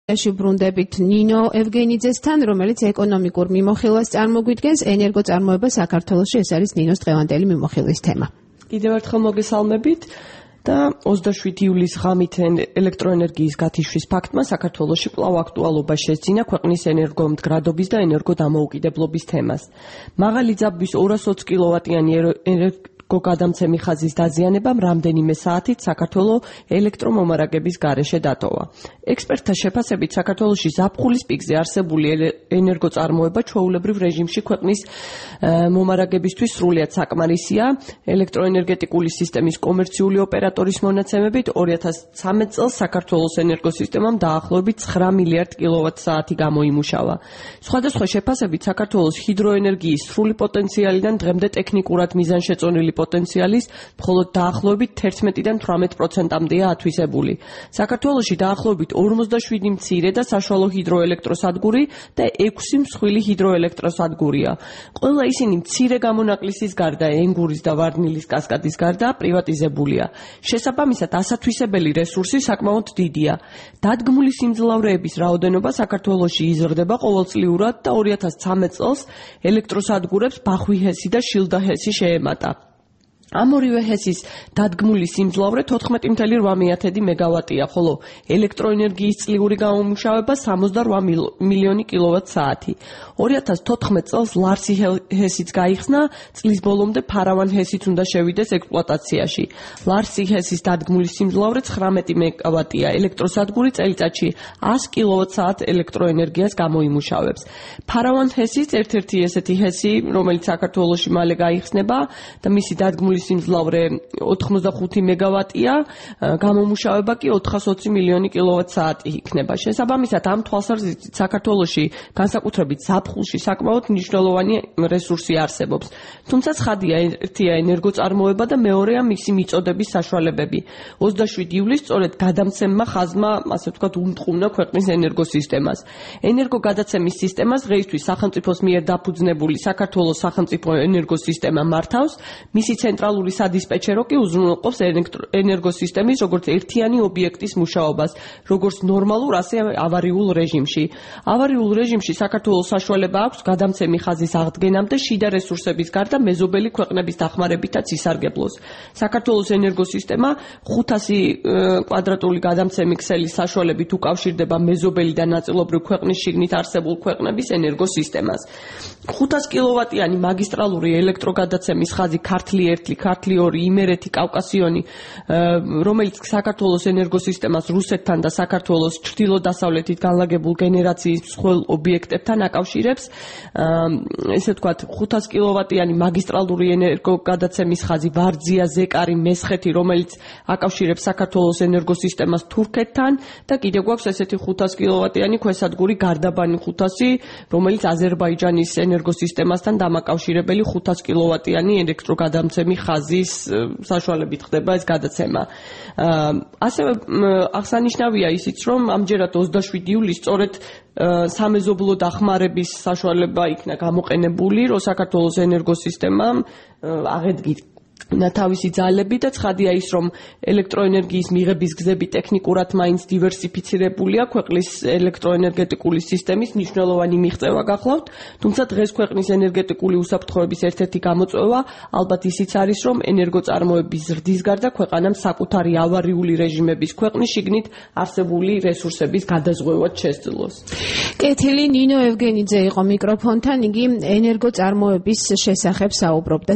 Ბრუნდებით ნინო ევგენიძესთან, რომელიც ეკონომიკურ მიმოხილვას წარმოგვიდგენს, ენერგოწარმოება საქართველოში, ეს არის ნინოს დღევანდელი მიმოხილვის თემა. კიდევ ერთხელ მოგესალმებით და 27 ივლისის ღამით ელექტროენერგიის გათიშვის ფაქტმა საქართველოში კვლავ აქტუალობა შესძინა ქვეყნის ენერგომდგრადობის და ენერგოდამოუკიდებლობის თემას. მაღალი ძაბვის 220 კილოვატიანი გადამცემი ხაზის დაზიანებამ რამდენიმე საათით საქართველოს ელექტრომომარაგების გარეშე დატოვა. ექსპერტთა შეფასებით საქართველოში ზაფხულის პიკზე არსებული ენერგოწარმოება ჩვეულებრივ რეჟიმში ქვეყნის მომარაგებისთვის სრულიად საკმარისია. ელექტროენერგეტიკული სისტემის კომერციული ოპერატორის მონაცემებით 2013 წელს საქართველოს ენერგოსისტემამ დაახლოებით 9 მილიარდ კილოვატ-საათი გამოიმუშავა. სხვადასხვა შეფასებით საქართველოს ჰიდროენერგიის სრული პოტენციალიდან დღემდე ტექნიკურად მიზანშეწონილი პოტენციალის მხოლოდ დაახლოებით 11-დან 18%-მდეა ათვისებული. საქართველოში დაახლოებით 47 მცირე და საშუალო ჰიდროელექტროსადგური და 6 მსხვილი ჰიდროელექტროსადგურია. ყველა ისინი მცირე გამონაკლისის გარდა, ენგურის და ვარდნილის კასკადის გარდა პრივატიზებულია. შესაბამისად, ასათვისებელი რესურსი საკმაოდ დიდია. დადგმული სიმძლავრეების რაოდენობა საქართველოში იზრდება ყოველწლიურად და 2013 წელს ელექტროსადგურებს ბახვი ჰესი და შილდა ჰესი შეემატა. ამ ორივე ჰესის დადგმული სიმძლავრე 14.8 მეგავატია, ხოლო ელექტროენერგიის წლიური გამომუშავება 68 მილიონი კილოვატ-საათი. 2014 წელს ლარსი ჰესიც გაიხსნა, წლის ბოლომდე ფარავან ჰესიც უნდა შევიდეს ექსპლუატაციაში. ლარსი ჰესის დადგმული სიმძლავრე 19 მეგავატია, ელექტროსადგური წელიწადში 100 კილოვატ-საათ ელექტროენერგიას გამოიმუშავებს. ფარავან ჰესიც ერთ-ერთი ესეთი ჰესი, რომელიც საქართველოში მალე გაიხსნება და მისი დადგმული სიმძლავრე 85 მეგავატია, გამომუშავება კი 420 მილიონი კილოვატ-საათი იქნება. შესაბამისად, ამ თვალსაზრისით საქართველოში განსაკუთრებით ზაფხულში საკმაოდ მნიშვნელოვანი რესურსი არსებობს. თუმცა ცხადია, ერთია ენერგოწარმოება და მეორეა მისი მიწოდების საშუალებები. 27 ივლისს სწორედ გადამცემმა ხაზმა, ასე ვთქვათ, უმტყუნა ქვეყნის ენერგოსისტემას. ენერგოგადაცემის სისტემას დღეისთვის სახელმწიფოს მიერ დაფუძნებული საქართველოს სახელმწიფო ენერგოსისტემა მართავს, მისი ცენტრალური სადისპეჩერო კი უზრუნველყოფს ენერგოსისტემის როგორც ერთიანი ობიექტის მუშაობას, როგორც ნორმალურ, ასე ავარიულ რეჟიმში. ავარიულ რეჟიმში საქართველოს საშუალება აქვს გადამცემი ხაზის აღდგენამდე შიდა რესურსების გარდა მეზობელი ქვეყნების დახმარებითაც ისარგებლოს. საქართველოს ენერგოსისტემა 500 კვადრატული გადამცემი ქსელის საშუალებით უკავშირდება მეზობელი და ნაწილობრივ ქვეყნის შიგნით არსებულ ქვეყნების ენერგოსისტემას. 500 კილოვატიანი მაგისტრალური ელექტროგადაცემის ხაზი ქართლი 1, ქართლი 2, იმერეთი, კავკასიონი, რომელიც საქართველოს ენერგოსისტემას რუსეთთან და საქართველოს ჩრდილო-დასავლეთით განლაგებულ გენერაციის მსხვილ ობიექტებთან აკავშირებს. ესე ვთქვათ, 500 კილოვატიანი მაგისტრალური ენერგოგადაცემის ხაზი ვარძია, ზეკარი, მესხეთი, რომელიც აკავშირებს საქართველოს ენერგოსისტემას თურქეთთან და კიდევ გვაქვს ესეთი 500 კილოვატიანი ქვესადგური გარდაბანი 500, რომელიც აზერბაიჯანის ენერგოსისტემასთან დამაკავშირებელი 500 კილოვატიანი ელექტროგადამცემი ხაზის საშუალებით ხდება ეს გადაცემა. ასევე აღსანიშნავია ისიც, რომ ამჯერად 27 ივლისს სწორედ სამეზობლო დახმარების საშუალება იქნა გამოყენებული, რომ საქართველოს ენერგოსისტემამ აღედგინა თავისი ძალები და ცხადია ის, რომ ელექტროენერგიის მიღების გზები ტექნიკურად მაინც დივერსიფიცირებულია, ქვეყნის ელექტროენერგეტიკული სისტემის მნიშვნელოვანი მიღწევა გახლავთ, თუმცა დღეს ქვეყნის ენერგეტიკული უსაფრთხოების ერთ-ერთი გამოწვევა ალბათ ისიც არის, რომ ენერგოწარმოების ზრდის გარდა ქვეყანამ საკუთარი ავარიული რეჟიმების ქვეყნის შიგნით არსებული რესურსების გადაზღვევად შესძლოს. კეთილი, ნინო ევგენიძე იყო მიკროფონთან, იგი ენერგოწარმოების შესახებ საუბრობდა.